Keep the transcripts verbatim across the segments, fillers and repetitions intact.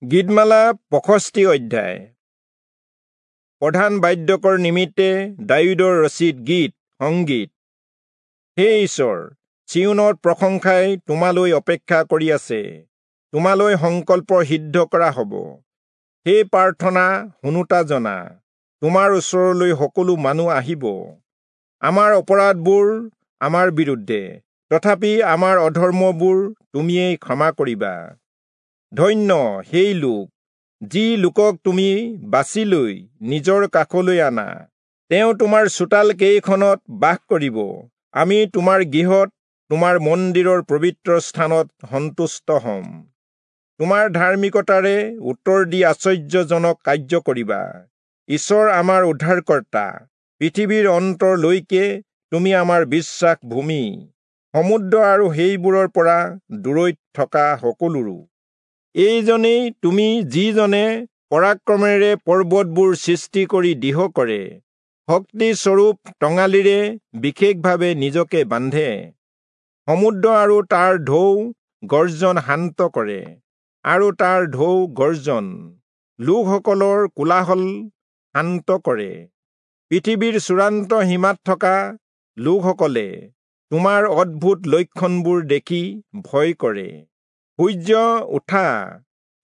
গীতমালা পঁয়ষষ্ঠি অধ্যায়। প্ৰধান বাদ্যকৰ নিমিত্তে দায়ূদৰ ৰচিত গীত সংগীত। হে ঈশ্বৰ, চিয়োনত প্ৰশংসাই তোমালৈ অপেক্ষা কৰি আছে, তোমালৈ সংকল্প সিদ্ধ কৰা হ'ব। সেই প্ৰাৰ্থনা শুনোতা জনা, তোমাৰ ওচৰলৈ সকলো মানুহ আহিব। আমাৰ অপৰাধবোৰ আমাৰ বিৰুদ্ধে, তথাপি আমাৰ অধৰ্মবোৰ তুমিয়েই ক্ষমা কৰিবা। ধন্য সেই লোক, যি লোকক তুমি বাছি লৈ নিজৰ কাষলৈ আনা। তেওঁ তোমাৰ চোতাল কেইখনত বাস কৰিব। আমি তোমাৰ গৃহত, তোমাৰ মন্দিৰৰ পবিত্ৰ স্থানত সন্তুষ্ট হ'ম। তোমাৰ ধাৰ্মিকতাৰে উত্তৰ দি আশ্চৰ্যজনক কাৰ্য কৰিবা। ঈশ্বৰ আমাৰ উদ্ধাৰকৰ্তা, পৃথিৱীৰ অন্তৰলৈকে তুমি আমাৰ বিশ্বাস ভূমি, সমুদ্ৰ আৰু সেইবোৰৰ পৰা দূৰৈত থকা সকলোৰো। এইজনেই তুমি, যিজনে পৰাক্ৰমেৰে পৰ্বতবোৰ সৃষ্টি কৰি দৃঢ় কৰে, শক্তিস্বৰূপ টঙালিৰে বিশেষভাৱে নিজকে বান্ধে, সমুদ্ৰ আৰু তাৰ ঢৌ গৰ্জন শান্ত কৰে, আৰু তাৰ ঢৌ গৰ্জন লোকসকলৰ কোলাহল শান্ত কৰে। পৃথিৱীৰ চূড়ান্ত সীমাত থকা লোকসকলে তোমাৰ অদ্ভুত লক্ষণবোৰ দেখি ভয় কৰে। সূৰ্য উঠা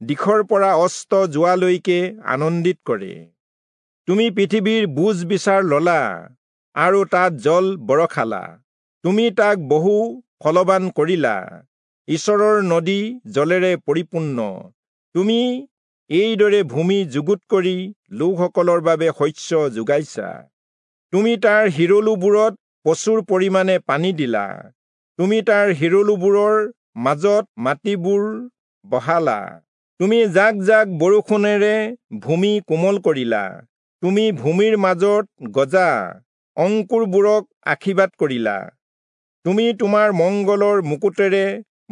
দিশৰ পৰা অস্ত যোৱালৈকে আনন্দিত কৰে। তুমি পৃথিৱীৰ বুজ বিচাৰ ললা আৰু তাত জল বৰষালা। তুমি তাক বহু ফলৱান কৰিলা। ঈশ্বৰৰ নদী জলেৰে পৰিপূৰ্ণ। তুমি এইদৰে ভূমি যুগুত কৰি লোকসকলৰ বাবে শস্য যোগাইছা। তুমি তাৰ শিৰলুবোৰত প্ৰচুৰ পৰিমাণে পানী দিলা। তুমি তাৰ শিৰলুবোৰৰ মাজত মাটিবোৰ বহালা। তুমি জাক জাক বৰষুণেৰে ভূমি কোমল কৰিলা। তুমি ভূমিৰ মাজত গজা অংকুৰবোৰক আশীৰ্বাদ কৰিলা। তুমি তোমাৰ মংগলৰ মুকুটেৰে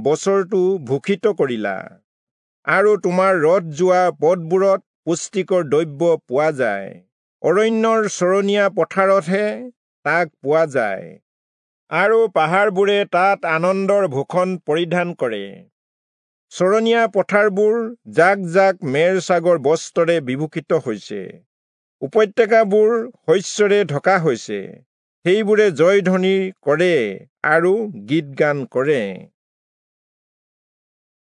বছৰটো ভূষিত কৰিলা, আৰু তোমাৰ ৰথ যোৱা পথবোৰত পুষ্টিকৰ দ্ৰব্য পোৱা যায়। অৰণ্যৰ চৰণীয়া পথাৰতহে তাক পোৱা যায়, আৰু পাহাৰবোৰে তাত আনন্দৰ ভূষণ পৰিধান কৰে। চৰণীয়া পথাৰবোৰ জাক জাক মেৰ ছাগৰ বস্ত্ৰৰে বিভূষিত হৈছে। উপত্যকাবোৰ শস্যৰে ঢকা হৈছে। সেইবোৰে জয়ধ্বনি কৰে আৰু গীত গান কৰে।